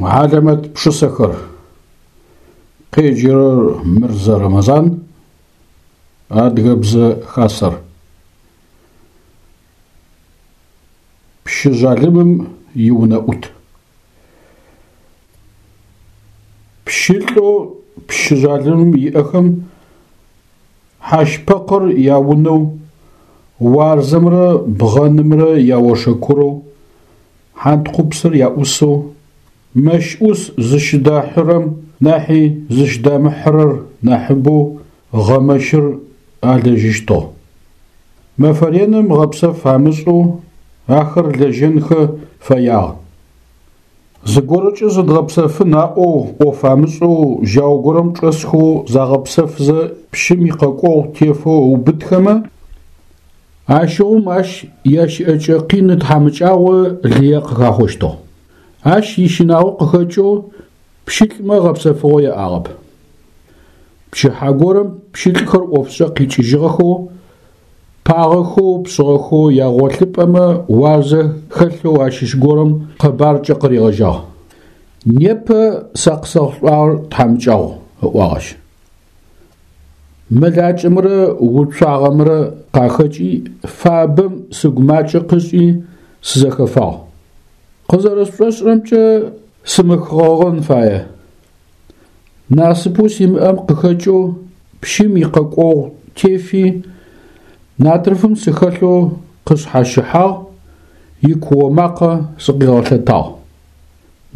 Хьалэмэт пшысэхэр. Къеджэрэр Мырзэ Рэмэзан, Адыгэбзэ Хасэр. Пщы жъалымым иунэӏут. Пщылӏэу пщы жъалымым иӏэхэм хьащпэкъыр яунэу, уарзэмрэ бгъэнымрэ яошэкурэу, хьантхъупсыр яӏусэу, мэщ ӏус зыщыдахьырэм нахьи зыщыдамыхьырэр нахьыбэу гъэмэщыр алэжьыщтыгъ. Мэфэ реным гъэпсэф амышӏэу ахэр лэжьэнхэ фэягъ. Зыгорэкӏэ зыдгъэпсэфын аӏоу ӏоф амышӏэу жьау горэм чӏэсхэу загъэпсэфзэ пщым икъэкӏогъу тефэу ыубытхэмэ, ащыгъум ащ ящыӏэкӏэ къин тхьамыкӏагъо лые къыхахъощтыгъ. Ащ ищынагъо къыхэкӏэу пщылӏмэ гъэпсэфыгъо яӏагъэп. Пчыхьэ горэм пщылӏхэр ӏофшӏэ къикӏыжьыгъэхэу, пагъэхэу, пшъыгъэхэу ягъолъыпӏэмэ уарзэ хэлъэу ащыщ горэм къэбаркӏэ къыригъэжьагъ. Непэ сэ къысэхъулӏагъэр тхьамыкӏагъу, ыӏуагъ ащ. Мэлакӏэмрэ уцуагъэмрэ къахэкӏи, фабэм сыгу макӏэ къышӏи, сызэхэфагъ. Къызэрэсшӏошӏырэмкӏэ, сымэхыгъэгъэн фае. Насыпэу симыӏэм къыхэкӏэу пщым икъэкӏогъу тефи, натрыфым сыхэлъэу къысшъхьащыхьагъ, икуо макъэ сыкъигъэлъэтагъ.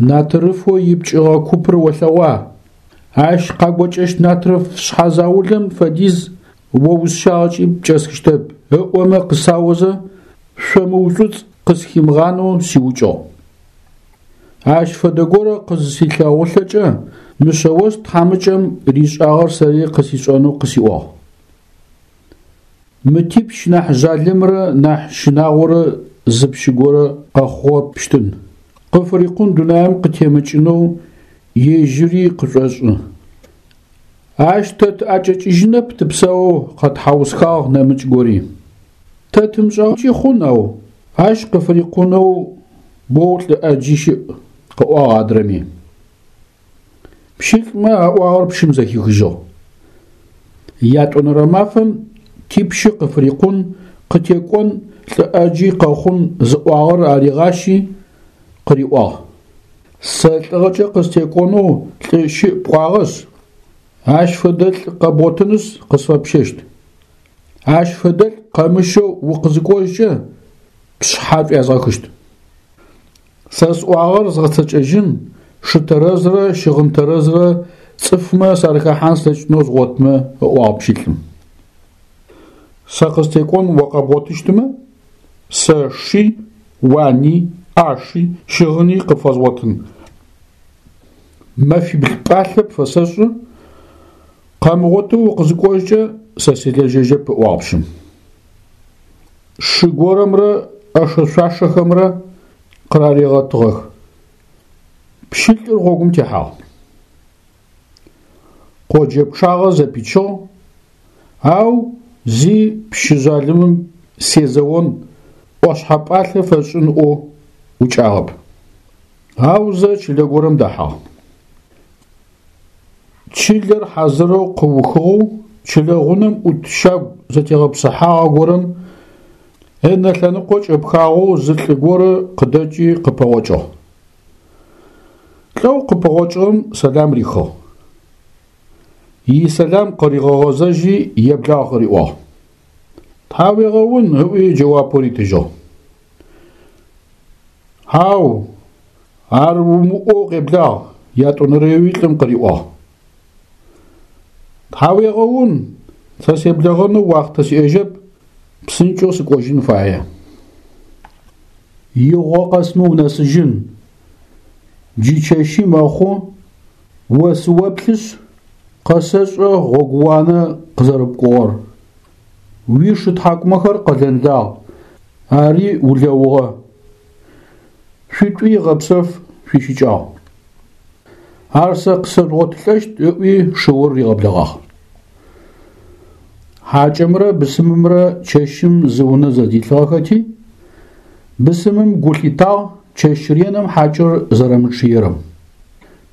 Натрыфэу ипкӏыгъэ купыр олъэгъуа? Ащ къагокӏэщт натрыф шъхьэ заулэм фэдиз о усщагъэкӏи пкӏэсхыщтэп, ыӏомэ къысаозэ, шъомыушӏуцӏ къысхимыгъанэу сиукӏыгъ. Ащ фэдэ горэ къызысилъэгъулӏэкӏэ, мы Шъэост тхьамыкӏэм ришӏагъэр сэри къысишӏэнэу къысиӏуагъ. Мы типщ нахь жъалымрэ нахь щынагъорэ зы пщы горэ къэхъугъэпщтын. Къыфырикъун дунаим къытемыкӏынэу ежьыри къышӏошӏы. Ащ тэ тыӏэкӏэкӏыжьынэп тыпсэоу, къэтхьаусхагъ нэмыкӏ гори. Тэ тымышӏагъэкӏи хъун, ау ащ къыфырикъунэу боу лӏы ӏэджи щыӏ, къыӏуагъ адрэми. Пщылӏмэ аӏуагъэр пщым зэхихыжьыгъ. Ятӏонэрэ мафэм типщы къыфырикъун, къытекӏон лӏы ӏэджи къэхъун зыӏуагъэр аригъащи, къыриӏуагъ. Сэ лӏыгъэкӏэ къыстекӏонэу лӏы щыӏ пӏуагъэшъ, ащ фэдэлӏ къэбгъотынышъ къысфэпщэщт. Ащ фэдэлӏ къэмыщэу укъызыкӏожькӏэ, пшъхьэ шӏуязгъэхыщт. Сэ сӏуагъэр згъэцэкӏэжьын, шы тэрэзрэ щыгъын тэрэзрэ цӏыфмэ сарыхэхьан слъэкӏынэу згъотмэ, ыӏуагъ пщылӏым. Сэ къыстекӏон о къэбгъотыщтмэ, сэ ши, уани, ӏаши, щыгъыни къыпфэзгъотын. Мэфибл пӏалъэ пфэсэшӏы, къэмыгъотэу укъызыкӏожькӏэ сэ силэжьэжьэп, ыӏуагъ пщым. Шы горэмрэ ӏэшэ-шъуашэхэмрэ къыраригъэтыгъэх. Пщылӏыр гъогум техьагъ. Къоджэ пчъагъэ зэпичыгъ, ау зи пщы жъалымым сезэон, ӏошъхьэ пӏалъэ фэсшӏын ыӏоу ӏукӏагъэп. Аузэ чылэ горэм дэхьагъ. Чылэр хьазырэу къыухыгъэу чылэ гъунэм ӏут щагу зэтегъэпсыхьагъэ горэм ынэ лъэныкъо кӏэпхагъэу зы лӏы горэ къыдэкӏи къыпэгъокӏыгъ. Лӏэу къыпэгъокӏыгъэм сэлам рихыгъ. Исэлам къыригъэгъэзэжьи еблагъ къыриӏуагъ. Тхьауегъэун, ыӏуи джэуапэу ритыжьыгъ. Хьау, ар умыӏоу къеблагъ, ятӏонэрэуи лӏым къыриӏуагъ. Тхьауегъэун, сэ себлэгъэнэу уахътэ сиӏэжьэп, псынкӏэу сыкӏожьын фае. Игъо къэсмэ унэсыжьын, джы чэщи мэхъу, о сыоплъышъ, къэсэшӏэ гъогууанэ къызэрэпкӏугъэр. Уишы тхьакӏумэхэр къэлэнлагъ, ари улэугъэ. Шъуитӏуи гъэпсэф шъуищыкӏагъ. Ар сэ къысэжъугъотылӏэщт, ыӏуи шыур ригъэблэгъагъ. Хьакӏэмрэ бысымымрэ чэщым зы унэ зэдилъыгъэхэти, бысымым гу лъитагъ чэщ реным хьакӏэр зэрэмычъыерэм.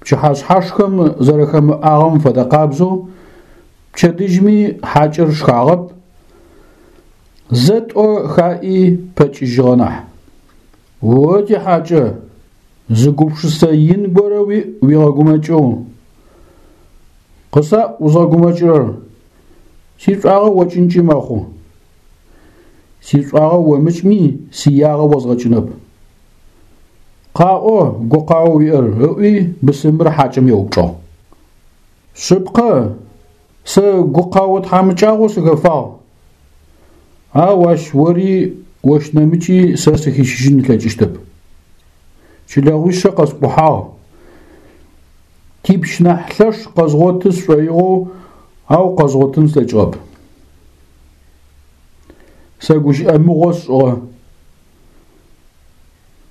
Пчыхьэшъхьашхэм зэрэхэмыӏагъэм фэдэкъабзэу пчэдыжьми хьакӏэр шхагъэп, зэ-тӏо хаӏи пэкӏыжьыгъэ нахь. О тихьакӏэ, зы гупшысэ ин горэ уиӏ уигъэгумэкӏэу. Къысаӏу узгъэгумэкӏырэр, сишӏуагъэ окӏынкӏи мэхъу. Сишӏуагъэ омыкӏми, сиягъэ озгъэкӏынэп. Къаӏо, гукъаоу уиӏэр, ыӏуи бысымыр хьакӏэм еупчӏыгъ. Шъыпкъэ, сэ гукъао тхьамыкӏагъо сыхэфагъ, ау ащ ори ощ нэмыкӏи сэ сыхищыжьын ылъэкӏыщтэп. Чылэгъуишъэ къэскӏухьагъ. Типщ нахь лъэш къэзгъоты сшӏоигъоу, ау къэзгъотын слъэкӏыгъэп. Сэ гущыӏэ мыгъо сшӏыгъэ.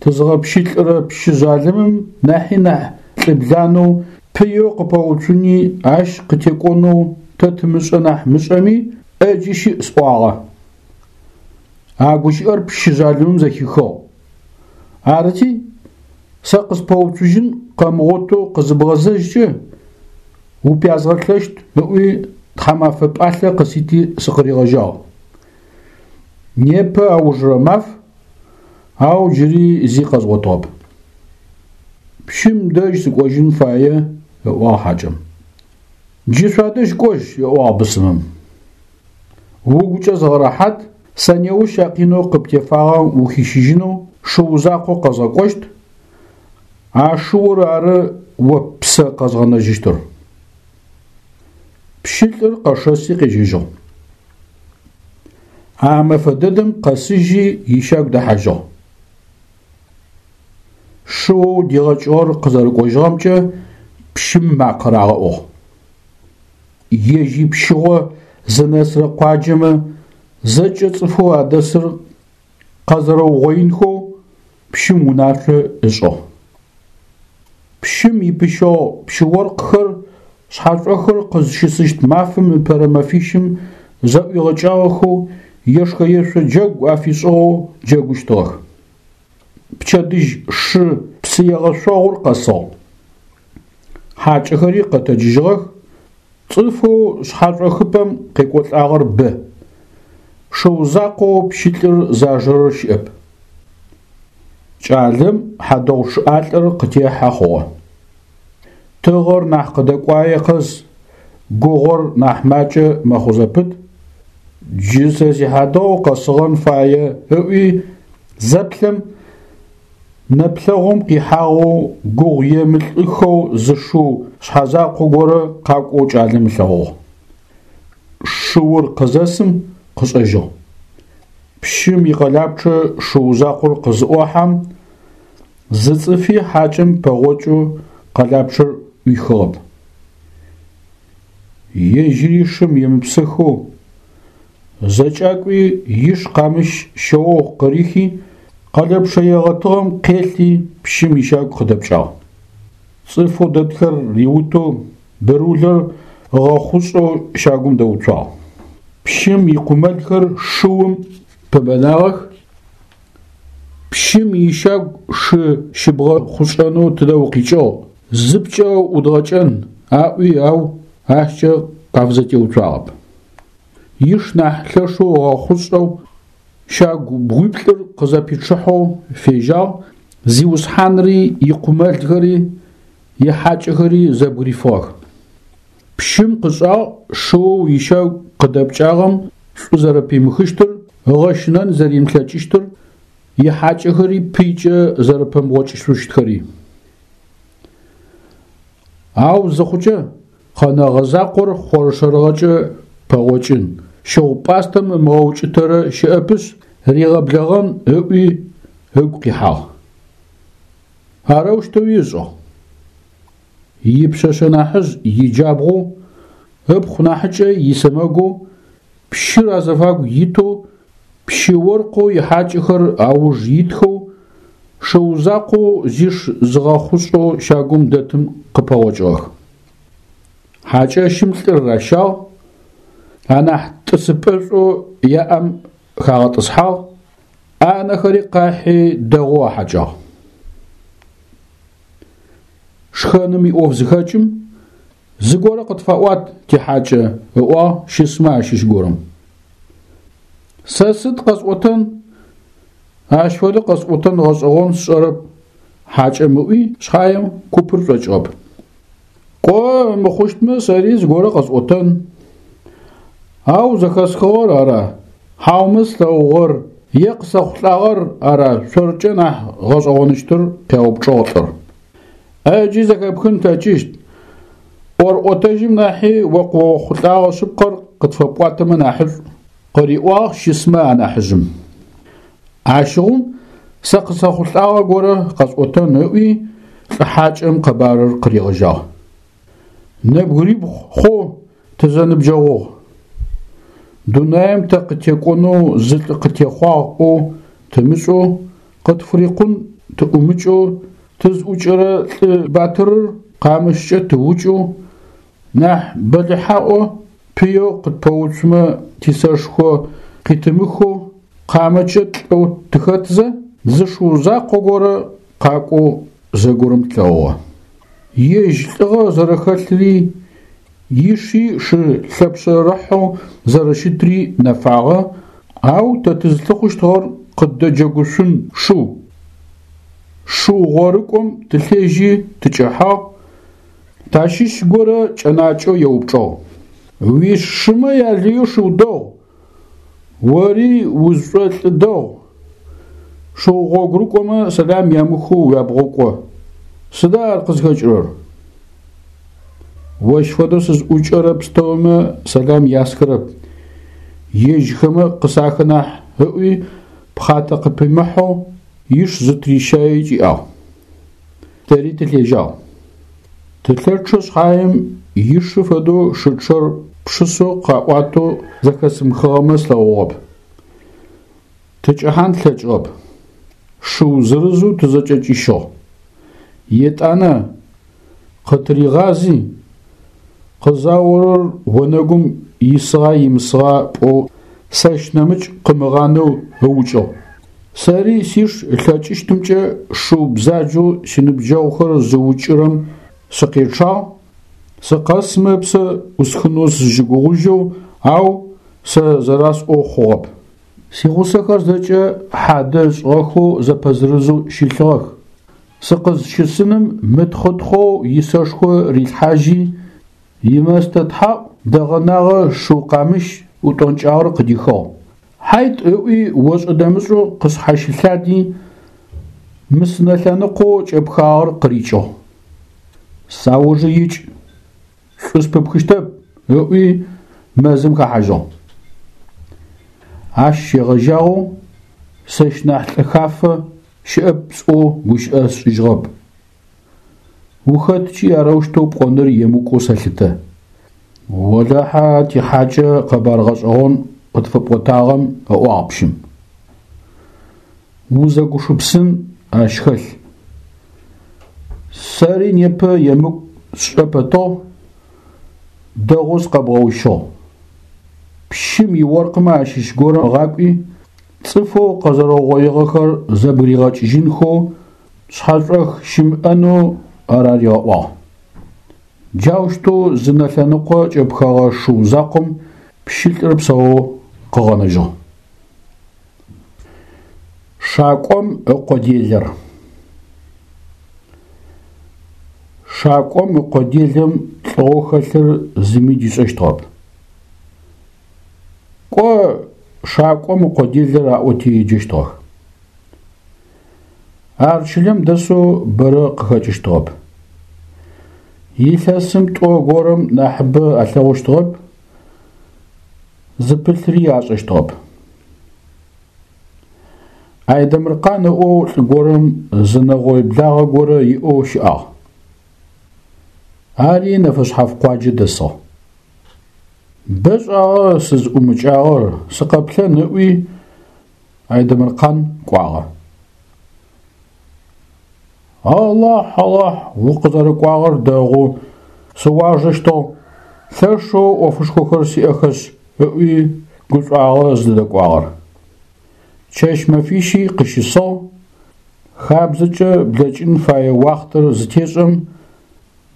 Тызгъэпщылӏырэ пщы жъалымым нахьи нахь лӏыбланэу пыеу къыпэуцуни ащ къытекӏонэу тэ тымышӏэ нахь мышӏэми, ӏэджи щыӏ сӏуагъэ. А гущыӏэр пщы жъалымым зэхихыгъ. Арыти, сэ къыспэуцужьын къэмыгъотэу къызыбгъэзэжькӏэ, упязгъэлъэщт ыӏуи тхьамафэ пӏалъэ къысити сыкъыригъэжьагъ. Непэ аужырэ маф, ау джыри зи къэзгъотыгъэп. Пщым дэжь сыкӏожьын фае, ыӏуагъ хьакӏэм. Джы шъуадэжь кӏожь, ыӏуагъ бысымым. Угукӏэ зыгъэрэхьат, сэ неущ а къинэу къыптефагъэм ухищыжьынэу шыу закъо къэзгъэкӏощт, а шыур ары о ппсэ къэзгъэнэжьыщтыр. Пщылӏыр къэшэси къежьэжьыгъ. А мэфэ дэдэм къэсыжьи ищагу дэхьажьыгъ. Шыоу дигъэкӏыгъэр къызэрэкӏожьыгъэмкӏэ пщым макъэ рагъэӏугъ. Ежь ипщыгъо зынэсырэ къуаджэмэ зэкӏэ цӏыфэу адэсыр къэзэрэугъоинхэу пщым унашъо ышӏыгъ. Пщым ипыщэгъу пщы-оркъхэр шъхьашӏохыр къызщысыщт мафэм ыпэрэ мэфищым зэӏуигъэкӏагъэхэу ешхэ-ешъо джэгу афишӏыгъэу джэгущтыгъэх. Пчэдыжь шы псы егъэшъогъур къэсыгъ. Хьакӏэхэри къэтэджыжьыгъэх, цӏыфэу шъхьашӏохыпӏэм къекӏолӏагъэр бэ. Шыу закъоу пщылӏыр зажэрэр щыӏэп. Кӏалэм хьадэгъу чъыӏалӏэр къытехьэ хъугъэ. Тыгъэр нахь къыдэкӏуае къэс гугъор нахь макӏэ мэхъу зэпыт. Джы сэ сихьадэгъу къэсыгъэн фае ыӏуи зэплъэм, нэплъэгъум къихьагъэу гугъу емылӏыхэу зы шыу шъхьэзакъо горэ къакӏоу кӏалэм ылъэгъугъ. Шыур къызэсым къышӏэжьыгъ. Пщым икъэлапчъэ шыу закъор къызыӏохьэм, зы цӏыфи хьакӏэм пэгъокӏэу къэлапчъэр ӏуихыгъэп. Ежьыри шым емыпсыхэу, зэкӏакӏуи иш къамыщ шъэогъу къырихи, къэлэпчъэ егъэтыгъэм къелъи пщым ищагу къыдэпкӏагъ. Цӏыфэу дэтхэр риутэу бырулэр ыгъэхъушӏэу щагум дэуцуагъ. Пщым икъумэлхэр шыум пэбэнагъэх. Пщым ищагу шы щыбгъэхъушӏэнэу тыдэ укъикӏыгъ, зыпкӏэ ӏудгъэкӏэн, аӏуи, ау ащкӏэ къафызэтеуцуагъэп. Иш нахь лъэшэу ыгъэхъушӏэу, щагу бгъуиплӏыр къызэпичъыхьэу фежьагъ, зиусхьанри икъумэлхэри ихьакӏэхэри зэбгырифыгъэх. Пщым къышӏагъ шыоу ищагу къыдэпкӏагъэм шӏу зэрэпимыхыщтыр, ыгъэщынэн зэримылъэкӏыщтыр, ихьакӏэхэри пыйкӏэ зэрэпэмыгъокӏышъущтхэри. Ау зыхъукӏэ, къэнэгъэ закъор хъоршэрыгъэкӏэ пэгъокӏын, щыгъу-пӏастэм ымыгъэукӏытэрэ щыӏэпышъ, ригъэблэгъэн ыӏуи ыгу къихьагъ. Арэущтэуи ышӏыгъ. Ипшъэшъэ нахьыжъ иджабгъоу, ыпхъу нахьыкӏэ исэмэгоу, пщыр азэфагу итэу, пщы-оркъэу ихьакӏэхэр ауж итхэу, шыу закъоу зиш зыгъэхъушӏэу щагум дэтым къыпэгъокӏыгъэх. Хьакӏэщым лӏыр ращагъ, анахь тӏысыпӏэшӏоу яӏэм хагъэтӏысхьагъ, ӏанэхэри къахьи дэгъоу ахьакӏагъ. Шхэным иӏоф зыхэкӏым, зыгорэ къытфэӏуат, тихьакӏэ, ыӏуагъ щысмэ ащыщ горэм. Сэ сыд къэсӏотэн? Ащ фэдэу къэсӏотэн гъэшӏэгъон сшӏэрэп, хьакӏэм ыӏуи шъхьаем купыр шӏокӏыгъэп. Кӏо, мыхъущтмэ сэри зыгорэ къэсӏотэн. Ау зэхэсхыгъэр ара, хьаумэ слъэгъугъэр е къысэхъулӏагъэр ара шъоркӏэ нахь гъэшӏэгъоныщтыр? къяупчӏыгъ лӏыр. ӏэджи зэхэпхын плъэкӏыщт. ӏорӏотэжьым нахьи о къыохъулӏагъэ шъыпкъэр къытфэпӏуатэмэ нахьышӏу, къыриӏуагъ щысмэ анахьыжъым. Ащыгъум сэ къысэхъулӏагъэ горэ къэсӏотэн ыӏуи, лӏы хьакӏэм къэбарыр къыригъэжьагъ. Нэбгырибгъу хъоу тызэныбджэгъугъ. Дунаим тэ къытекӏонэу зы лӏы къытехъуагъ ӏоу тымышӏэу, къытфырикъун тыӏумыкӏэу, тызӏукӏэрэ лӏы батырыр къамыщкӏэ тыукӏэу, нахь бэлыхьаӏо пыеу къытпэуцумэ тисэшхо къитымыхэу, къамэкӏэ тлӏэу тыхэтзэ, зы шыу закъо горэ къакӏоу зэгорэм тлъэгъугъэ. Ежь лӏыгъэ зэрэхэлъри, иши шы лъэпшъэрыхьэу зэрэщытри нэфагъэ, ау тэ тызлъыхъущтыгъэр къыддэджэгушъун шыу. Шыу гъорыкӏом тылъежьи тыкӏэхьагъ, тащыщ горэ кӏэнакӏэу еупчӏыгъ: Уишымэ ялыеу шыу дэгъу, ори узшӏолӏы дэгъу, шыу гъогурыкӏомэ сэлам ямыхэу уябгъукӏо. Сыда ар къызхэкӏырэр? Ощ фэдэу сызӏукӏэрэ пстэумэ сэлам ясхырэп, ежьхэмэ къысахы нахь, ыӏуи, пхъатэ къыпимыхьэу иш зытырищаий кӏиӏагъ. Тэри тылъежьагъ. Тылъэчъэ шъхьаем ишы фэдэу шы чъэр пшысэу къаӏуатэу зэхэсымыхыгъэмэ слъэгъугъэп. Тыкӏэхьан тлъэкӏыгъэп. Шыу зырызэу тызэкӏэкӏищыгъ. Етӏанэ къытыригъази, къызаорэр онэгум исыгъа имысыгъа пӏоу сэщ нэмыкӏ къымыгъанэу ыукӏыгъ. Сэри сиш ылъэкӏыщтымкӏэ шыу бзаджэу синыбджэгъухэр зыукӏырэм сыкъечъагъ, сыкъэсмэ ыпсэ ӏусхынэу сызщыгугъыжьэу, ау сэ зэрасӏоу хъугъэп. Сигъусэхэр зэкӏэ хьадэ ышӏыгъэхэу зэпэзырызэу щылъыгъэх. Сыкъызщысыным мытхъытхъоу исэшхо рилъхьажьи, имэстэ тхьаӏу дэгъэнагъэ шыу къамыщ утӏонкӏагъэр къыдихыгъ. Хьайт ыӏуи ошӏэ-дэмышӏэу къысшъхьащылъади, мы сынэ лъэныкъоу кӏэпхагъэр къырикӏыгъ. Саужы икӏ, шӏу спыпхыщтэп, ыӏуи мэзым хэхьажьыгъ. Ащ щегъэжьагъэу сэщ нахь лӏы хафэ щыӏэп сӏоу гущыӏэ сшӏыжьыгъэп. Ухэткӏи арэущтэу пӏоныр емыкӏоу сэлъытэ. Олахьэ тихьакӏэ къэбар гъэшӏэгъон къытфэпӏотагъэм, ыӏуагъ пщым. Узэгушыпсын ащ хэлъ. Сэри непэ емыкӏу сшӏэ пэтыгъ, дэгъоу сыкъэбгъэущыгъ. Пщым иоркъмэ ащыщ горэ ыгъакӏуи, цӏыфэу къэзэрэугъоигъэхэр зэбгыригъэкӏыжьынхэу шъхьэшӏох щымыӏэнэу араригъэӏуагъ. Джаущтэу зы нэ лъэныкъо кӏэпхэгъэ шыу закъом пщылӏыр псэоу къыгъэнэжьыгъ. Шакӏом ыкъо делэр. Шакӏом ыкъо делэм лӏыгъэу хэлъыр зыми дишӏэщтыгъэп. Кӏо, шакӏом ыкъо делэр аӏоти еджэщтыгъэх. Ар чылэм дэсэу бэрэ къыхэкӏыщтыгъэп. Илъэсым тӏо горэм нахьыбэ алъэгъущтыгъэп, зыпылъри ашӏэщтыгъэп. Айдэмыркъан ыӏоу лӏы горэм зы нэгъой благъэ горэ иӏэу щыӏагъ. Ари нэфэшъхьаф къуаджэ дэсыгъ. Бэ шӏагъэ сызӏумыкӏагъэр, сыкъэплъэн ыӏуи, Айдэмыркъан кӏуагъэ. Алахь, Алахь, укъызэрэкӏуагъэр дэгъу, сыуажэщтыгъ, лъэшэу ӏофышхохэр сиӏэхэшъ, ыӏуи гушӏуагъэ зыдэкӏуагъэр. Чэщ-мэфищи къыщысыгъ, хабзэкӏэ блэкӏын фае уахътэр зытешӏэм.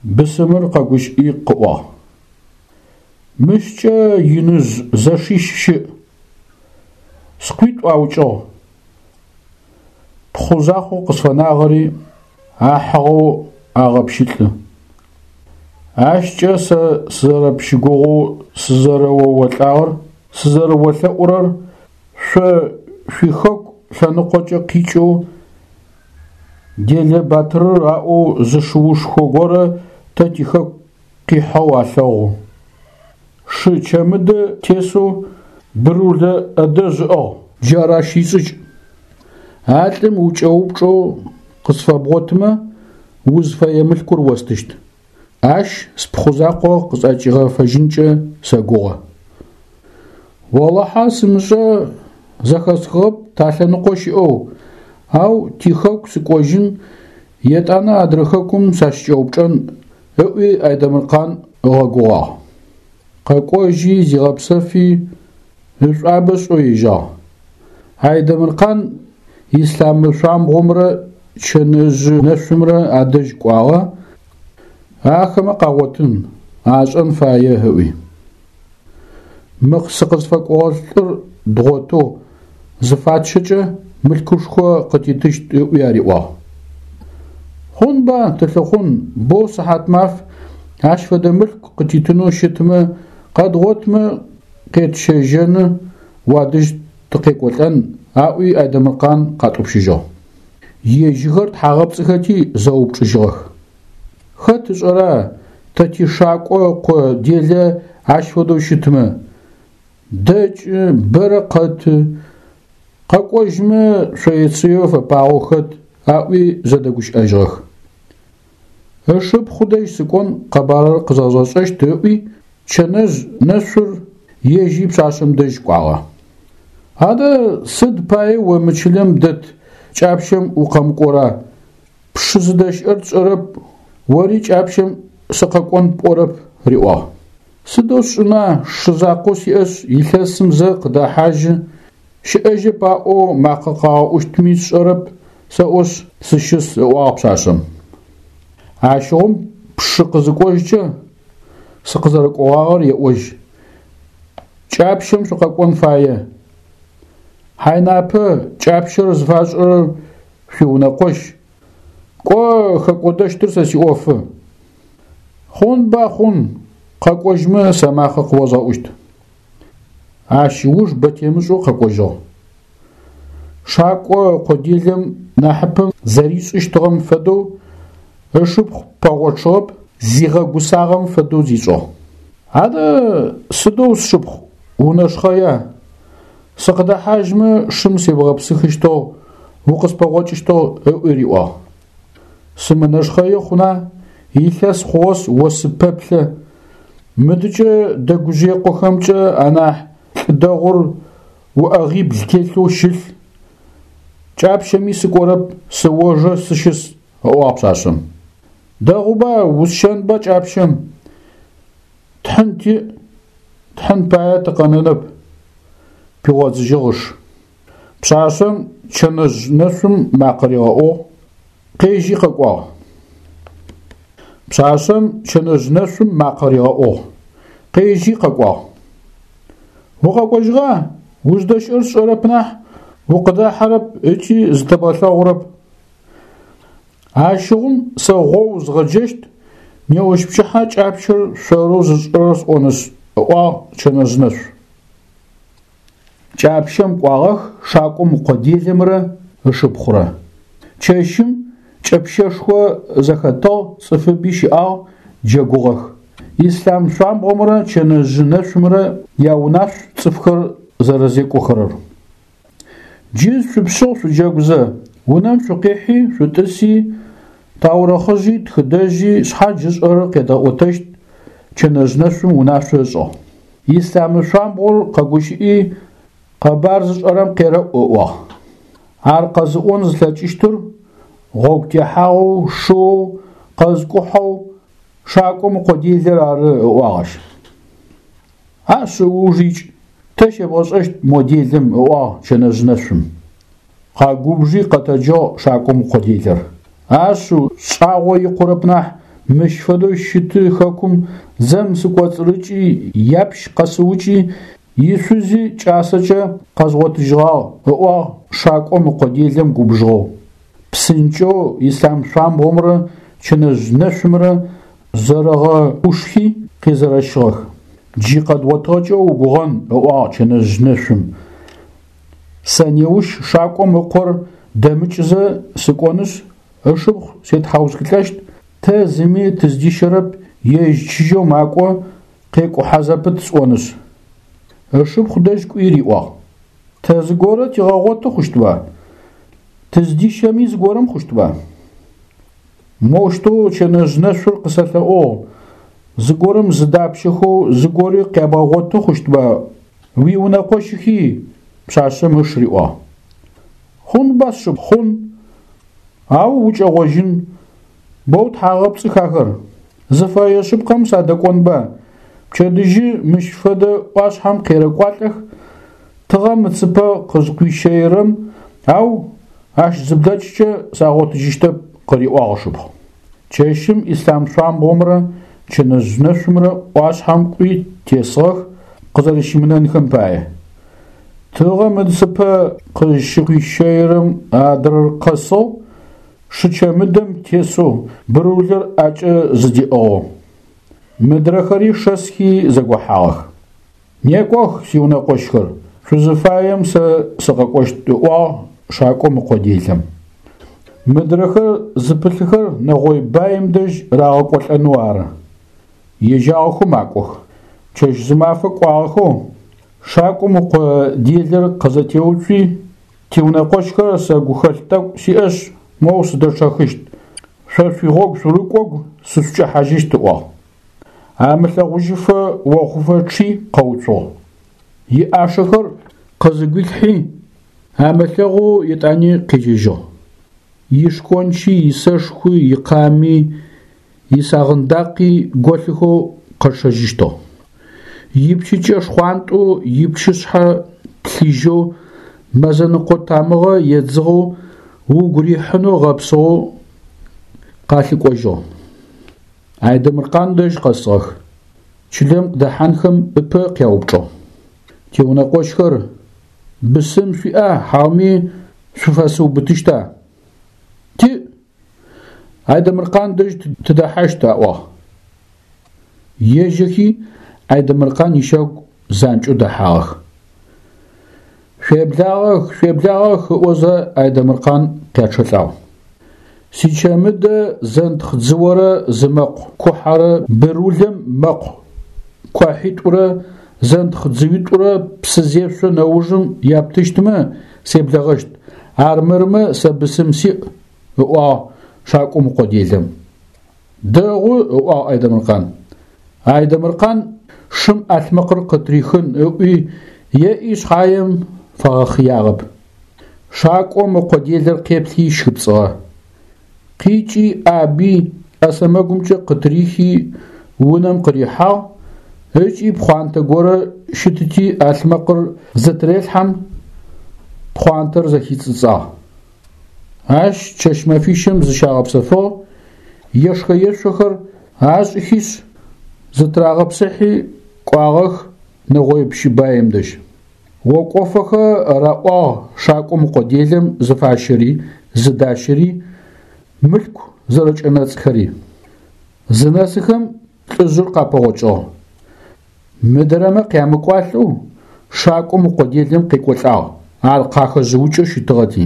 Бысымыр къэгущыӏи къыӏуагъ. Мыщкӏэ иныжъ зэшищ щыӏ. Скъуитӏу аукӏыгъ. Пхъу закъоу къысфэнагъэри ахьыгъэу агъэпщылӏы. Ащкӏэ сэ сызэрэпщыгугъэу сызэрэоолӏагъэр, сызэрэолъэӏурэр шъо шъуихэку лъэныкъокӏэ къикӏэу Делэ батырыр аӏоу зы шыушхо горэ тэ тихэку къихьэу алъэгъу. Шы чэмыдэ тесэу бырулэ ӏэдэжь ыӏыгъ. Джар ащ ишӏыкӏ. А лӏым укӏэупчӏэу къысфэбгъотмэ, узфэе мылъкур остыщт. Ащ спхъу закъо къысӏэкӏигъэфэжьынкӏэ сэгугъэ. Олахьэ сымышӏэ, зэхэсхыгъэп талъэныкъо щыӏэу, ау тихэку сыкӏожьын, етӏанэ адрэ хэкум сащыкӏэупчӏэн, ыӏуи Айдэмыркъан ыгъэгугъагъ. Къэкӏожьи, зигъэпсэфи, ышӏуабэ ышӏэу ежьагъ. Айдэмыркъан Ислъамы шъуамбгъомрэ Чэнэжъы нэшъумрэ адэжь кӏуагъэ, ахэмэ къагъотын, ашӏэн фае ыӏуи. Мы сыкъызфэкӏогъэ лӏыр дгъотэу зыфатщэкӏэ мылъкушхо къытитыщт ыӏуи ариӏуагъ. Хъунба, тылъыхъун, боу сыхьатмаф, ащ фэдэ мылъку къытитынэу щытмэ, къэдгъотмэ къетщэжьэны, уадэжь тыкъекӏолӏэн, аӏуи Айдэмыркъан къатӏупщыжьыгъ. Ежьыхэр тхьагъэпцӏыхэти зэупчӏыжьыгъэх. Хэт ышӏэра, тэ тишакӏо ыкъо делэ ащ фэдэу щытмэ? Дэкӏы, бэрэ къэты, къэкӏожьмэ шъоецыеу фэпагъэу хэт, аӏуи зэдэгущыӏэжьыгъэх. Ышыпхъу дэжь сыкӏон къэбарыр къызэзгъэшӏэщт ыӏуи, Чэнэжъ нэшъур ежьи пшъашъэм дэжь кӏуагъэ. Адэ сыд пае о мы чылэм дэт кӏапщэм укъэмыкӏора? Пшы зыдэщыӏэр тшӏэрэп, ори кӏапщэм сыкъэкӏон пӏорэп, риӏуагъ. Сыдэу сшӏына, шы закъоу сиӏэшъ, илъэсым зэ къыдэхьажьы, щыӏэжьэп аӏоу макъэ къагъэӏущтми сшӏэрэп, сэӏошъ, сыщыс, ыӏуагъ пшъашъэм. Ащыгъум пшы къызыкӏожькӏэ, сыкъызэрэкӏогъагъэр еӏожь. Кӏапщэм шъукъэкӏон фае. Хьайнапэ, кӏапщэр зыфашӏырэр шъуиунэкъощ. Кӏо, хэкӏодэщтыр сэ сиӏофы. Хъунба, хъун, къэкӏожьмэ сэ макъэ къыозгъэӏущт. Ащ ыуж бэ темышӏэу къэкӏожьыгъ. Шакӏо ыкъо делэм нахьыпэм зэришӏыщтыгъэм фэдэу ышыпхъу пэгъочъыгъэп, зигъэгусагъэм фэдэу зишӏыгъ. Адэ сыдэу сшыпхъу унэшхъэя? Сыкъыдэхьажьмэ шым себгъэпсыхыщтыгъ, укъыспэгъокӏыщтыгъ ыӏуи риӏуагъ. Сымынэшхъэи хъуна, илъэс хъугъэшъ о сыпэплъэ. Мыдыкӏэ Дэгужъыекъохэмкӏэ анахь лӏы дэгъур уӏэгъибл телъэу щылъ. Кӏапщэми сыкӏорэп, сыожэ сыщыс, ыӏуагъ пшъашъэм. Дэгъуба, усщэнба кӏапщэм. Тхьын тиӏ, тхьын пае тыкъэнэнэп, пигъодзыжьыгъ ыш. Пшъашъэм Чэнэжъ нэшъум макъэ ригъэӏугъ, къежьи къэкӏуагъ. Пшъашъэм Чэнэжъ нэшъум макъэ ригъэӏугъ, къежьи къэкӏуагъ. Укъэкӏожьыгъа? Уздэщыӏэр сшӏэрэп нахь, укъыдахьэрэп ыкӏи зытэбгъэлъэгъурэп. Ащыгъум сэ гъоу згъэджэщт, неущпчыхьэ кӏапщэр шъорэу зышӏырэр сӏонышъ, ыӏуагъ Чэнэжъ нэшъу. Кӏапщэм кӏуагъэх шакӏом ыкъо делэмрэ ышыпхъурэ. Чэщым кӏэпщэшхо зэхэтыгъ, цӏыфыби щыӏагъ, джэгугъэх. Ислъам шъуамбгъомрэ Чэнэжъы нэшъумрэ яунашъу цӏыфхэр зэрэзекӏохэрэр. Джы шъупшъыгъ шъуджэгузэ, унэм шъукъихьи, шъутӏыси, таурыхъыжъи, тхыдэжъи шъхьадж ышӏэрэр къедгъэӏотэщт, Чэнэжъ нэшъум унашъо ышӏыгъ. Ислъамы шъуамбгъор къэгущыӏи, къэбар зышӏэрэм къерэӏу ыӏуагъ. Ар къэзыӏон зылъэкӏыщтыр гъогу техьагъэу, шыоу, къэзыкӏухьэу, шакӏом ыкъо делэр ары, ыӏуагъ ащ. Ашъыу ыуж икӏ, тэ щебгъэшӏэщт мо делэм, ыӏуагъ Чэнэжъ нэшъум. Къэгубжи къэтэджыгъ шакӏом ыкъо делэр. Ашъыу, шӏагъо икъурэп нахь, Мыщ фэдэу щыты хэкум дзэм сыкӏоцӏырыкӏи, япщ къэсыукӏи, ишъузи кӏасэкӏэ къэзгъотыжьыгъагъ, ыӏуагъ шакӏом ыкъо делэм губжыгъэу. Псынкӏэу Ислъам шъуамбгъомрэ Чэнэжъ нэшъумрэ зэрэгъэӏушхи къезэрэщыгъэх. Джы къэдгъотыгъэкӏэ угугъэн, ыӏуагъ Чэнэжъ нэшъум. Сэ неущ шакӏом ыкъор дэмыкӏызэ сыкӏонышъ, ышыпхъу сетхьаусхылӏэщт, тэ зыми тыздищэрэп, ежь чыжьэу макӏо, къекӏухьэ зэпыт сӏонышъ. Ышыпхъу дэжь кӏуи риӏуагъ. Тэ зыгорэ тигъэгъоты хъущтба? Тыздищэми зыгорэм хъущтба? Моущтэу Чэнэжъ нэшъур къысэлъэӏугъ, зыгорэм зыдапщэхэу зыгори къябгъэгъоты хъущтба? Уиунэкъощыхи, пшъашъэм ыш риӏуагъ. Хъунба, сшыпхъу, хъун, ау укӏэгъожьын, боу тхьагъэпцӏых ахэр. Зыфэе шъыпкъэм садэкӏонба, пчэдыжьы мыщ фэдэ ӏуашъхьэм къерэкӏуалӏэх, тыгъэм ыцыпэ къызкъуищэирэм, ау ащ зыблэкӏкӏэ сагъотыжьыщтэп, къыриӏуагъ ышыпхъу. Чэщым Ислъам шъуамбгъомрэ Чэнэжъ нэшъумрэ ӏуашъхьэм кӏуи тесыгъэх къызэрэщымынэнхэм пае. Тыгъэм ыцыпэ къызщыкъуищэирэм адрэр къэсыгъ, шычэмыдэм тесэу бырулыр ӏэкӏэ зыдиӏыгъэу. Мыдрэхэри шэсхи зэгохьагъэх. Некӏох, сиунэкъощхэр, шъузыфаем сэ сыкъэкӏощт, ыӏуагъ шакӏом ыкъо делэм. Мыдрэхэр зыпылъыхэр нэгъой баим дэжь рагъэкӏолӏэнэу ары. Ежьагъэхэу макӏох. Чэщ-зымафэ кӏуагъэхэу шакӏом ыкъо делэр къызэтеуцуи, тиунэкъощхэр сэ гухэлъ тӏэкӏу сиӏэшъ, моу сыдэчъэхыщт, шъо шъуигъогу шъурыкӏогу сышъукӏэхьажьыщт, ыӏуагъ. Амылъэгъужьыфэ охъуфэ чъи къэуцугъ. Иӏашэхэр къызыгуилъхьи, амылъэгъоу етӏани къежьэжьыгъ. Ишхончи, исэшхуи, икъами, исагъындакъи голъыхэу къэчъэжьыщтыгъ. Ипчыкӏэ шхъуантӏэу, ипчышъхьэ плъыжьэу, мэзэныкъо тамыгъэ едзыгъэу, угу рихьынэу гъэпсыгъэу къалъыкӏожьыгъ. Айдэмыркъан дэжь къэсыгъэх. Чылэм къыдэхьанхэм ыпэ къяупчӏыгъ. Тиунэкъощхэр, бысым шъуиӏа, хьауми шъуфэсыубытыщта? Тиӏ. Айдэмыркъан дэжь тыдэхьащт, аӏуагъ. Ежьэхи Айдэмыркъан ищагу занкӏэу дэхьагъэх. Шъуеблагъэх, шъуеблагъэх, ыӏозэ Айдэмыркъан къячъэлӏагъ. Сичэмыдэ зэнтхъ дзыорэ зы мэкъу кухьэрэ бырулэм мэкъу куахьитӏурэ зэнтхъ дзыуитӏурэ псы зешъо нэужым яптыщтмэ, себлэгъэщт, армырмэ сэ бысым сиӏ, ыӏуагъ шакӏом ыкъо делэм. Дэгъу, ыӏуагъ Айдэмыркъан. Айдэмыркъан шым ӏалъмэкъыр къытырихын ыӏуи, еӏи шъхьаем фэгъэхъыягъэп. Шакӏом ыкъо делэр къеплъи щхыпцӏыгъэ. Къикӏи ӏаби ӏэ сэмэгумкӏэ къытырихи унэм къырихьагъ ыкӏи пхъуантэ горэ щытыти ӏалъмэкъыр зытырелъхьэм, пхъуантэр зэхицӏыцӏагъ. Ащ чэщ-мэфищым зыщагъэпсэфыгъ, ешхэ-ешъохэр ашӏыхишъ, зытырагъэпсыхьи кӏуагъэх нэгъой пщы баим дэжь. Окӏофэхэ раӏуагъ шакӏом ыкъо делэм зыфащэри, зыдащэри, мылъку зэрэкӏэнэцӏхэри. Зынэсыхэм лӏыжъыр къапэгъокӏыгъ. Мыдрэмэ къямыкӏуалӏэу шакӏом ыкъо делэм къекӏолӏагъ, ар къахэжъыукӏэу щытыгъэти.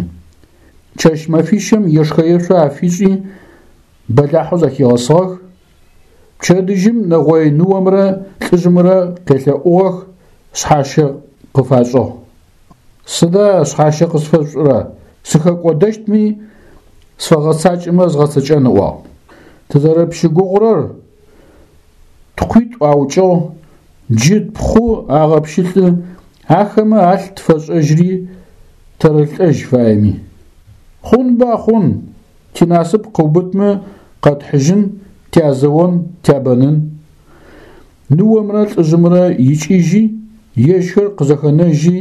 Чэщ-мэфищым ешхэ-ешъо афишӏи, бэлахьэу зэхигъэсыгъэх. Пчэдыжьым нэгъой ныомрэ лӏыжъымрэ къелъэӏугъэх, шъхьащэ къыфашӏыгъ. Сыда шъхьащэ къысфэшъушӏырэ? Сыхэкӏодэщтми, сфэгъэцакӏэмэ згъэцэкӏэн, ыӏуагъ. Тызэрэпщыгугъурэр Ткъуитӏу аукӏыгъ, джы тпхъу агъэпщылӏы, ахэмэ алъ тфэшӏэжьри тэрэлӏэжь фаеми. Хъунба, хъун, тинасып къыубытмэ къэтхьыжьын, тязэон, тябэнын. Ныомрэ лӏыжъымрэ икӏыжьи, ежьхэр къызэхэнэжьи,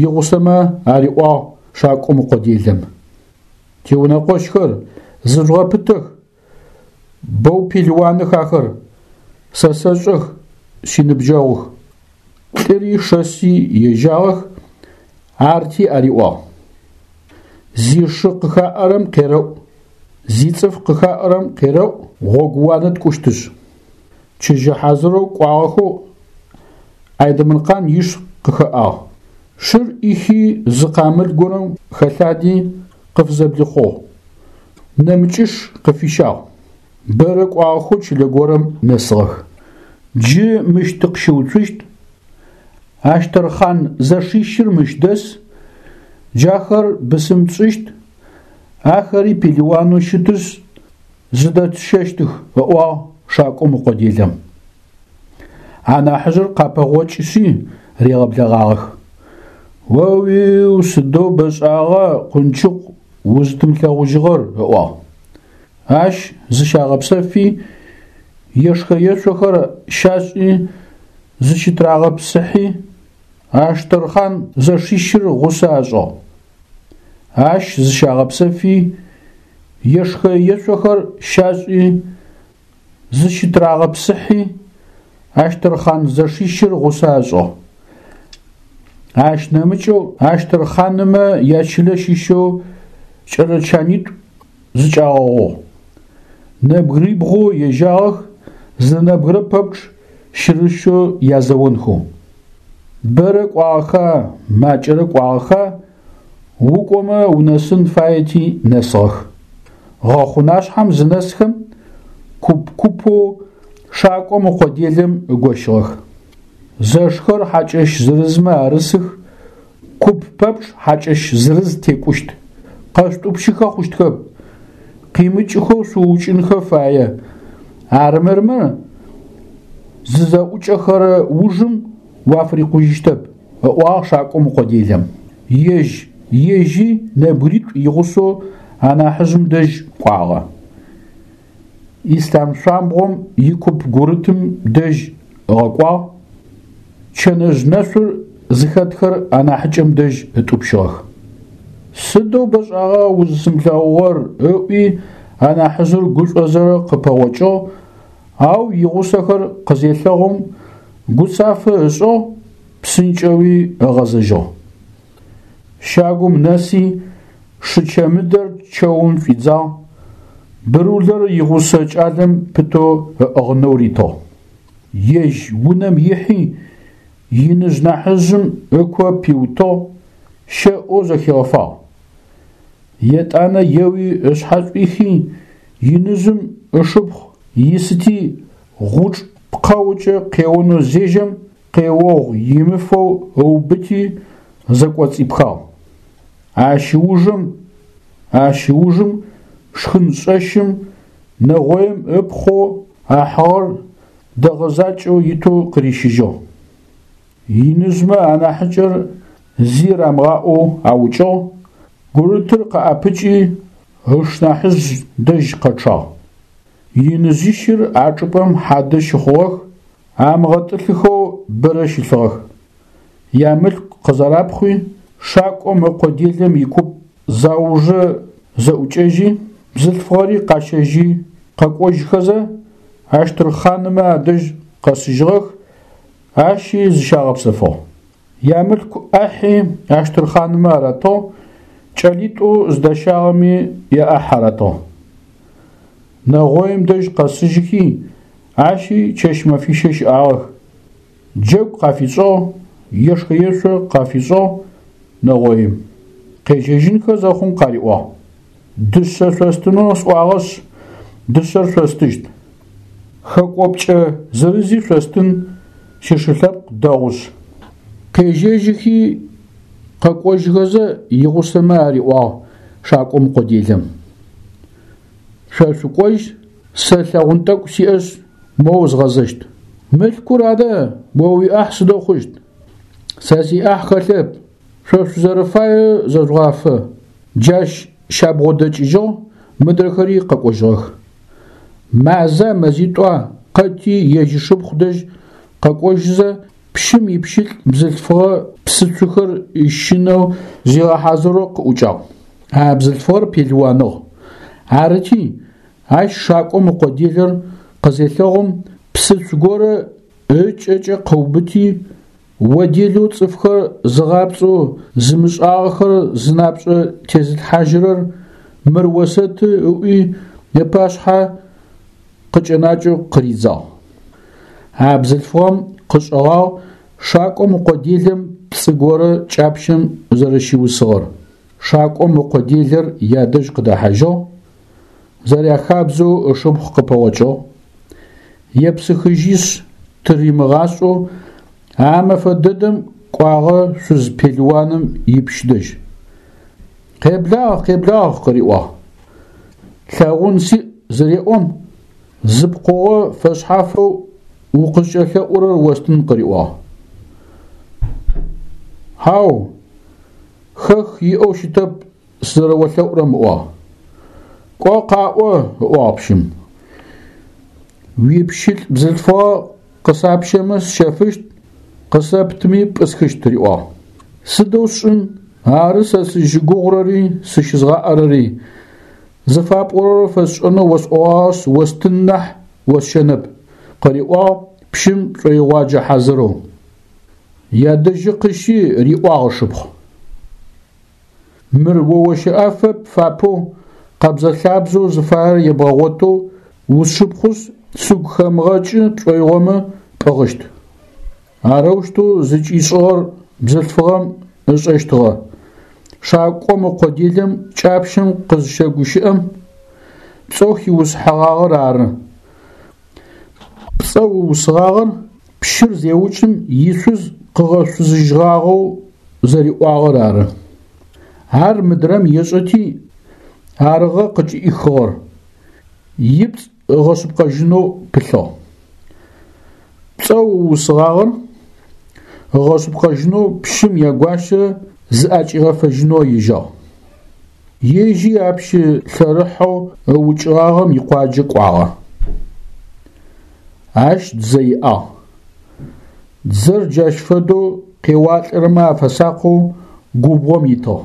игъусэмэ ариӏуагъ шакӏом ыкъо делэм. Тиунэкъощхэр, зыжъугъэпытэх! Боу пелыуаных ахэр, сэ сэшӏэх, синыбджэгъух. Лӏыри шэси ежьагъэх, арти ариӏуагъ. Зишы къыхаӏэрэм къерэӏу, зицӏыф къыхаӏэрэм къерэӏу, гъогууанэ ткӏущтышъ. Чыжьэ хьазырэу кӏуагъэхэу Айдэмыркъан иш къыхэӏагъ. Шыр ӏихи зы къамыл горэм хэлъади къыфызэблихъугъ. Нэмыкӏыш къыфищагъ. Бэрэ кӏуагъэхэу чылэ горэм нэсыгъэх. Джы мыщ тыкъыщыуцущт, Ащтэрхъан зэшищыр мыщ дэс, джахэр бысым тшӏыщт, ахэри пелыуанэу щытышъ, зыдэтщэщтых, ыӏуагъ шакӏом ыкъо делэм. Анахьыжъыр къапэгъокӏышъи ригъэблэгъагъэх. О-уиу, сыдэу бэшӏагъа, Къунчыкъу, узытымылъэгъужьыгъэр, ыӏуагъ. Ащ зыщагъэпсэфи, ешхэ-ешъохэр щашӏи, зыщытырагъэпсыхьи, Аштэрхъан зэшищыр гъусэ ашӏыгъ. Ащ зыщагъэпсэфи, ешхэ-ешъохэр щашӏи, зыщытырагъэпсыхьи, Аштэрхъан зэшищыр гъусэ ашӏыгъ. Ащ нэмыкӏэу Аштэрхъанымэ ячылэ щыщэу кӏэлэ чанитӏу зыкӏагъэгъугъ. Нэбгырибгъоу ежьагъэх, зы нэбгырэ пэпчъ щырыщэу язэонхэу. Бэрэ кӏуагъэха, макӏэрэ кӏуагъэха, укӏомэ унэсын фаети нэсыгъэх. Гъэхъунашъхьэм зынэсхэм, куп-купэу шакӏом ыкъо делэм ыгощыгъэх. Зэшхэр хьакӏэщ зырызмэ арысых, куп пэпчъ хьакӏэщ зырыз текӏущт. Къэшъутӏупщыхэ хъущтхэп, къимыкӏыхэу шъуукӏынхэ фае. Армырмэ, зызэӏукӏэхэрэ ужым уафырикъужьыщтэп, ыӏуагъ шакӏом ыкъо делэм. Ежь ежьи нэбгыритӏу игъусэу анахьыжъым дэжь кӏуагъэ. Ислъам шъуамбгъом икуп гурытым дэжь ыгъэкӏуагъ, Чэнэжъ нэшъур зыхэтхэр анахьыкӏэм дэжь ытӏупщыгъэх. Сыдэу бэшӏагъа узысымылъэгъугъэр, ыӏуи анахьыжъыр гушӏозэ къыпэгъокӏыгъ, ау игъусэхэр къызелъэгъум гуцафэ ышӏыгъ, псынкӏэуи ыгъэзэжьыгъ. Щагум нэси шычэмыдэр чэум шӏуидзагъ, бырулэр игъусэ кӏалэм пытэу ыӏыгъынэу ритыгъ. Ежь унэм ихьи, иныжъ нахьыжъым ыко пиутыгъ, щэӏоу зэхигъэфагъ. Етӏанэ еуи ышъхьэ шӏуихи, иныжъым ышыпхъу исыти гъучӏ пкъэукӏэ къеонэу зежьэм, къеогъу имыфэу ыубыти, зэкӏоцӏипхагъ. Ащ ыужым ащ ыужым шхыншӏэщым нэгъоим ыпхъоу ахьыгъэр дэгъэ закӏэу итэу къырищыжьыгъ. Иныжъмэ анахьыкӏэр зи рамыгъаӏоу аукӏыгъ, гурытыр къыӏэпыкӏи ышнахьыжъ дэжь къэчъагъ. Иныжъищыр а чӏыпӏэм хьадэ щыхъугъэх, амыгъэтӏылъыхэу бэрэ щылъыгъэх. Ямылъку къызэрапхъуи, шакӏом ыкъо делэм икуп заужэ зэӏукӏэжьи, бзылъфыгъэри къащэжьи къэкӏожьхэзэ, Аштырхъанымэ адэжь къэсыжьыгъэх, ащи зыщагъэпсэфыгъ. Ямылъку ӏахьи Аштырхъанымэ аратыгъ, кӏэлитӏоу зыдащагъэми яӏахь аратыгъ. Нэгъоим дэжь къэсыжьыхи, ащи чэщ-мэфищэ щыӏагъэх. Джэгу къафишӏыгъ, ешхэ-ешъо къафишӏыгъ нэгъоим. Къежьэжьынхэ зэхъум къариӏуагъ. Дышъэ шъостынэу сӏуагъэшъ, дышъэр шъостыщт. Хэкӏопкӏэ зырызи шъостын, сишы лъэпкъ дэгъушъ. Къежьэжьыхи къэкӏожьхэзэ игъусэмэ ариӏуагъ шакӏом ыкъо делэм. Шъо шъукӏожь, сэ лъэгъун тӏэкӏу сиӏэшъ, моу згъэзэщт. Мылъкур адэ, о уиӏахь сыдэу хъущт? Сэ сиӏахь хэлъэп, шъо шъузэрэфаеу зэжъугъафэ. Джащ щабгъодэкӏыжьыгъ, мыдрэхэри къэкӏожьыгъэх. Маза, мэзитӏуа къэти ежь ышыпхъу дэжь къэкӏожьызэ, пщым ипщылӏ бзылъфыгъэ псыцухэр ыщынэу зигъэхьазырэу къыӏукӏагъ. А бзылъфыгъэр пелыуаныгъ. Арыти, Ащ шакӏом ыкъо делэр къызелъэгъум, псыцу горэ ыкӏэкӏэ къыубыти, о делэу цӏыфхэр зыгъапцӏэу зымышӏагъэхэр зынапшӏэ тезылъхьажьырэр мыр осэты ыӏуи ыпашъхьэ къыкӏэнакӏэу къыридзагъ. А бзылъфыгъэм къышӏэгъагъ шакӏом ыкъо делэм пцӏы горэ кӏапщэм зэрэщиусыгъэр. Шакӏом ыкъо делэр ядэжь къыдэхьажьыгъ, зэряхабзэу ышыпхъу къыпэгъокӏыгъ. Епсыхыжьишъ тыримыгъашӏэу а мэфэ дэдэм кӏуагъэ шъуз пелыуаным ипщ дэжь. Къеблагъ, къеблагъ, къыриӏуагъ. Лъэгъун сиӏ зыреӏом, зы пкъыгъо фэшъхьафэу укъызкӏэлъэӏурэр остын къыриӏуагъ. Хьау, хэх иӏэу щытэп сызэрэолъэӏурэм ыӏуагъ. Кӏо къаӏо, ыӏуагъ пщым. Уипщылӏ бзылъфыгъэ къысапщэмэ сщэфыщт, къысэптми пӏысхыщт, риӏуагъ. Сыдэу сшӏын, ары сэ сызщыгугъырэри сыщызгъаӏэрэри. Зыфапӏорэр фэсшӏэнэу осӏогъагъэшъ, остын нахь, осщэнэп, къыриӏуагъ пщым шӏоигъуаджэ хьазырэу. Ядэжьы къыщи риӏуагъ ышыпхъу. Мыр о ощэӏэфэ пфапэу, къэбзэ-лъабзэу зыфаер ебгъэгъотэу усшыпхъушъ, сыгу хэмыгъэкӏы пшӏоигъомэ пӏыгъыщт. Арэущтэу зыкӏишӏыгъэр бзылъфыгъэм ышӏэщтыгъэ. Шакӏом ыкъо делэм кӏапщэм къызщэгущыӏэм, пцӏэу хиусыхьэгъагъэр ары. Пцӏэу ыусыгъагъэр пщыр зеукӏым ишъуз къыгъэшъузыжьыгъагъэу зэриӏуагъэр ары. Ар мыдрэм ешӏэти, арыгъэ къыкӏыӏихыгъэр, ипцӏ ыгъэшъыпкъэжьынэу пылъыгъ. Пцӏэу ыусыгъагъэр ыгъэшъыпкъэжьынэу пщым ягуащэ зыӏэкӏигъэфэжьынэу ежьагъ. Ежьи а пщы лъэрыхьэу ыукӏыгъагъэм икъуаджэ кӏуагъэ. Ащ дзэ иӏагъ. Дзэр джащ фэдэу къеуалӏэрэмэ афэсакъэу губгъом итыгъ.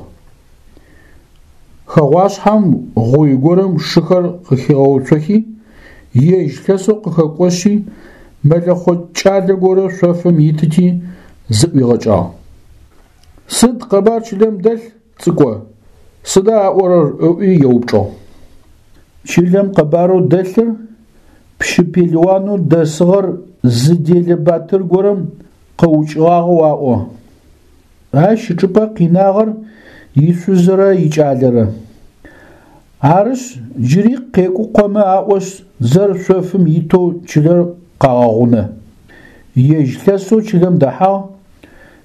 Хэгъуашъхьэм гъуй горэм шыхэр къыхигъэуцохи, ежь лъэсэу къыхэкӏошъи, мэлэхъо кӏалэ горэ шъофым итыти, зыӏуигъэкӏагъ. Сыд къэбар чылэм дэлъ, цӏыкӏо, сыда аӏорэр ыӏуи еупчӏыгъ. Чылэм къэбарэу дэлъыр пщы пелыуанэу дэсыгъэр зы делэ батыр горэм къыукӏыгъагъэу аӏо. Ащ ычӏыпӏэ къинагъэр ишъузырэ икӏалэрэ. Арышъ, джыри къекӏукъомэ аӏошъ, дзэр шъофым итэу чылэр къагъэгъунэ. Ежь лъэсэу чылэм дэхьагъ,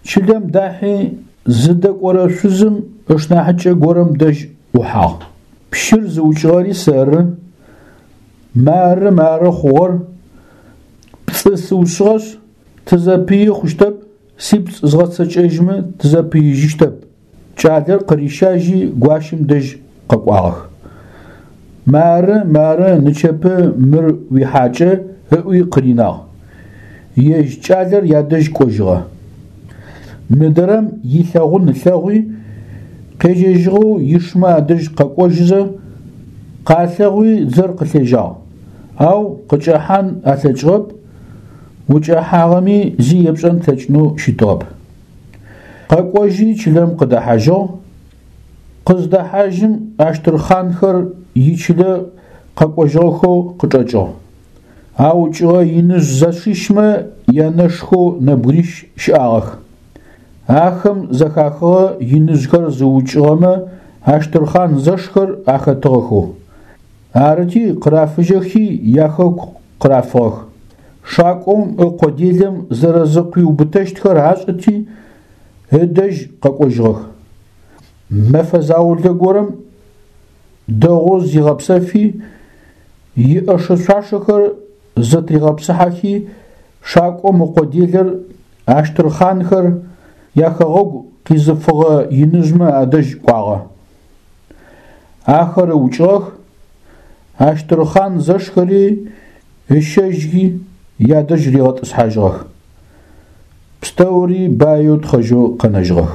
Чылэм дахьи, зыдэкӏорэ шъузым ышнахьыкӏэ горэм дэжь ӏухьагъ. Пщыр зыукӏыгъэри сэры. Мары, мары хъугъэр. Пцӏы сыусыгъэшъ, тызэпыи хъущтэп, сипцӏ згъэцэкӏэжьмэ тызэпыижьыщтэп. Кӏалэр къырищажьи гуащэм дэжь къэкӏуагъэх. Мары, мары, нычэпэ мыр уихьакӏэ, ыӏуи къыринагъ. Ежь кӏалэр ядэжь кӏожьыгъэ. Мыдрэм илъэгъун ылъэгъуи, къежьэжьыгъэу ишмэ адэжь къэкӏожьызэ, къалъэгъуи дзэр къылъежьагъ, ау къыкӏэхьан алъэкӏыгъэп, укӏэхьагъэми зи епшӏэн плъэкӏынэу щытыгъэп. Къэкӏожьи чылэм къыдэхьажьыгъ. Къыздэхьажьым Ащтырхъанхэр ичылэ къэкӏожьыгъэхэу къычӏэкӏыгъ. Аукӏыгъэ иныжъ зэшищмэ янэшхэу нэбгырищ щыӏагъэх. Ахэм зэхахыгъэ иныжъхэр зыукӏыгъэмэ Ащтырхъан зэшхэр ахэтыгъэхэу. Арыти, къырафыжьэхи яхэку къырафыгъэх. Шакӏом ыкъо делэм зэрэзыкъуиубытэщтхэр ашӏэти, ыдэжь къэкӏожьыгъэх. Мэфэ заулэ горэм дэгъоу зигъэпсэфи, иӏэшэ-шъуашэхэр зэтригъэпсыхьэхи, шакӏом ыкъо делэр Ащтырхъанхэр яхэгъэгу къизыфыгъэ иныжъмэ адэжь кӏуагъэ. Ахэр ыукӏыгъэх, Ащтырхъан зэшхэри ыщэжьхи ядэжь ригъэтӏысхьажьыгъэх. Пстэури баеу тхъэжьэу къэнэжьыгъэх.